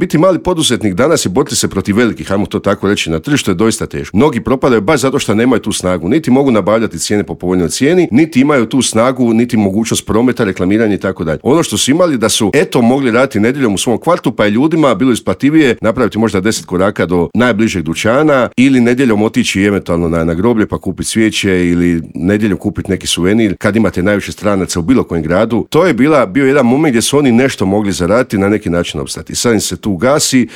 Biti mali poduzetnik danas je boriti se protiv velikih, ajmo to tako reći, na tržištu je doista teško. Mnogi propadaju baš zato što nemaju tu snagu, niti mogu nabavljati cijene po povoljnoj cijeni, niti imaju tu snagu, niti mogućnost prometa, reklamiranja i tako dalje. Ono što su imali da su mogli raditi nedjeljom u svom kvartu, pa je ljudima bilo isplativije napraviti možda 10 koraka do najbližeg dućana ili nedjeljom otići eventualno na groblje pa kupiti svijeće ili nedjeljom kupiti neki suvenir kad imate najviše stranaca u bilo kojem gradu. To je bio jedan moment gdje su oni nešto mogli zaraditi, na neki način opstati. Sad im se tu gasi